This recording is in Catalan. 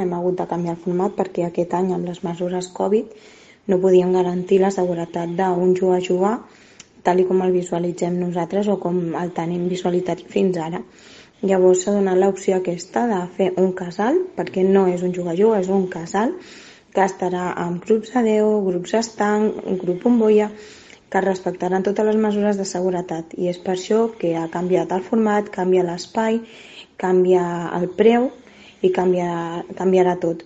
Hem hagut de canviar el format perquè aquest any, amb les mesures Covid, no podíem garantir la seguretat d'un jugar-jugar tal com el visualitzem nosaltres o com el tenim visualitzat fins ara. Llavors s'ha donat l'opció aquesta de fer un casal, perquè no és un jugar-jugar, és un casal que estarà amb grups de 10, grups estanc, un grup bombolla, que respectaran totes les mesures de seguretat, i és per això que ha canviat el format, canvia l'espai, canvia el preu i canviarà tot.